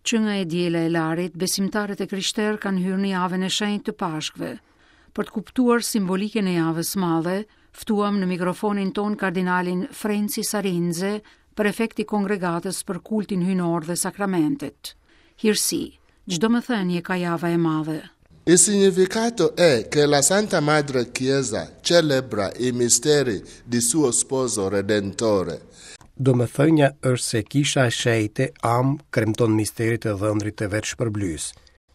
Që nga e diela e Larit, besimtarët e krishterë kanë hyrë në javën e shenjtë të Pashkëve. Për të kuptuar simbolikën e javës së madhe, ftuam në mikrofonin tonë kardinalin Frencis Arinze, prefekt i Kongregatës për Kultin Hyjnor dhe Sakramentet. Hirësi, ç'domethënie ka java e madhe? Il significato è che la Santa Madre Chiesa celebra i misteri di suo sposo redentore. Domethënia është se Kisha e Shenjtë Amë kremton misteret e dhëndrit të vet shpërblyes.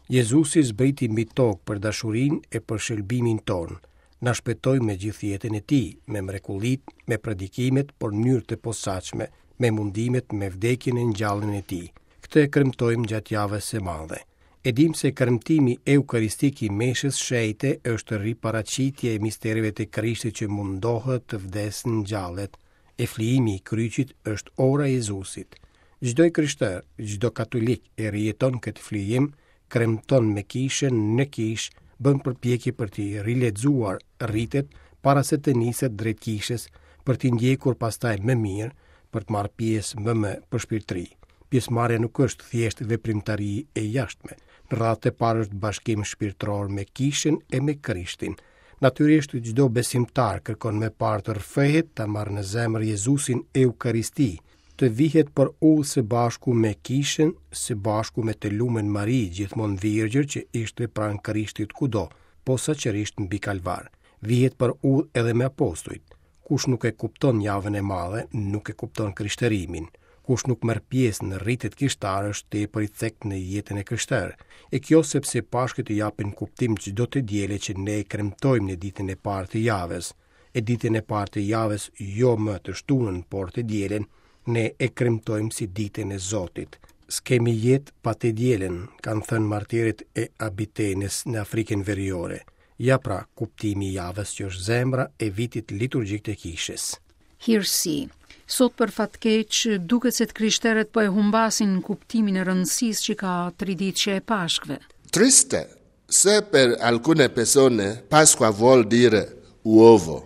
Jezusi zbriti mbi tokë për dashurinë e për shëlbimin tonë. Na shpëtoi me gjithë jetën e tij, me mrekullitë, me predikimet, por në mënyrë të posaçme, me mundimet, me vdekjen e ngjalljen e tij. Këtë e kremtojmë gjatë javës së madhe. E dimë se kremtimi eukaristik i meshës shenjte është riparaqitje e mistereve të Krishtit që mundohet, vdes, ngjallet. E flijimi i kryqit është ora e Jezusit. Çdo i krishterë, çdo katolik e rijeton këtë flijim, kremton me kishën në kishë, bën përpjekje për t'i rilexuar ritet para se të niset drejt kishës, për t'i ndjekur pastaj më mirë, për të marrë pjesë më me përshpirtëri. Pjesëmarrja nuk është thjesht veprimtari e jashtme. Në radhë të parë është bashkim shpirtëror me kishën e me Krishtin. Natyrisht çdo besimtar kërkon më parë të rrëfehet, ta marrë në zemër Jezusin Eukaristi, të vihet për udhë së bashku me kishën, së bashku me të lumen Mari, gjithmonë virgjër që ishte pranë Krishtit kudo, posaçërisht mbi Kalvar. Vihet për udhë edhe me apostujt. Kush nuk e kupton javën e madhe, nuk e kupton krishterimin. Kush nuk merr pjesë në ritet kishtare është tepër i cekët në jetën e krishterë. E kjo sepse Pashkët i japin kuptim çdo të diele që ne e kremtojmë në ditën e parë të javës. E ditën e parë të javës jo më të shtunën, por të dielën, ne e kremtojmë si ditën e Zotit. S'kemi jetë pa të dielën, kanë thënë martirët e Abitenës në Afrikën Veriore. Ja pra, kuptimi i javës që është zemra e vitit liturgjik të kishës. Hirësi. Sot për fat keq, duket se të krishterët po e humbasin kuptimin e rëndësisë që ka triditëshja e Pashkëve. Triste se per alcune persone Pasqua vuol dire uovo.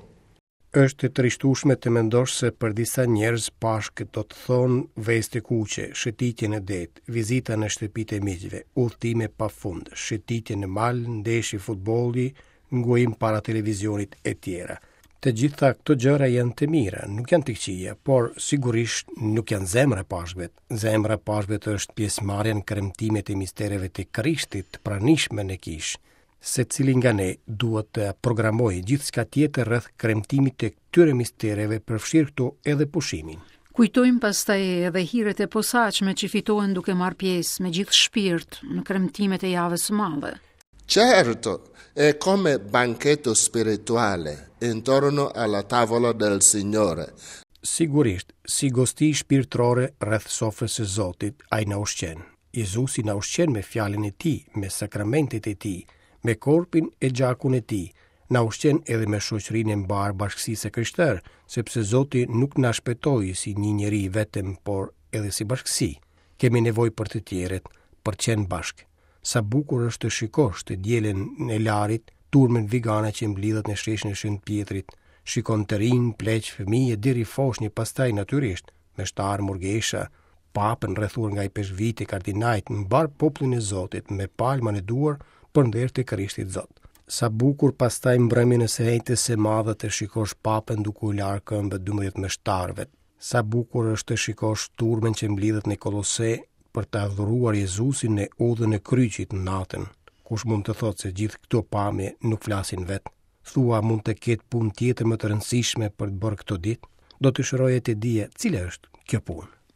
Është e trishtueshme të mendosh se për disa njerëz Pashkët do të thonë vezë të kuqe, shëtitje në det, vizita në shtëpitë e miqve, udhëtime pa fund, shëtitje në mal, ndeshje futbolli, ngujim para televizionit etj. Të gjitha këto gjëra janë të mira, nuk janë të këqija, por sigurisht nuk janë zemra e Pashkëve. Zemra e Pashkëve është pjesëmarrja në kremtimet e mistereve të Krishtit, të pranishme në kishë. Secili nga ne duhet të programojë gjithçka tjetër rreth kremtimit të këtyre mistereve, përfshirë këtu edhe pushimin. Kujtojmë pastaj edhe hiret e posaçme që fitohen duke marrë pjesë me gjithë shpirt në kremtimet e javës së madhe. Certo, è come banchetto spirituale intorno alla tavola del Signore. Sigurisht, si gosti shpirtërore rreth sofrës së Zotit, ai na ushqen. Jezusi na ushqen me fjalën e tij, me sakramentet e tij, me korpin e gjakun e tij, na ushqen edhe me shoqërinë e mbarë bashkësisë së krishterë, sepse Zoti nuk na shpëtoi si një njeri vetëm, por edhe si bashkësi. Kemi nevojë për të tjerët, për të qenë bashkë. Sa bukur është të shikosh të dielën e Larit, turmën vigane që mblidhet në sheshin e Shën Pjetrit. Shikon të rinj, pleq, fëmijë e deri foshnje pastaj natyrisht, meshtarë, murgesha, papën rrethuar nga ipeshkvijtë e kardinajt, mbarë popullin e Zotit me palma në duar për nder të Krishtit Zot. Sa bukur pastaj mbrëmjen e së enjtes së madhe të shikosh papën duke u larë këmbët 12 meshtarëve. Sa bukur është të shikosh turmën që mblidhet në Kolose për të adhuruar Jezusin në udhën e kryqit natën. Kush mund të thotë se gjithë këto pamje nuk flasin vetë? Thua mund të ketë punë tjetër më të rëndësishme për të bërë këto ditë? Do të dëshiroja të dija cila është kjo punë.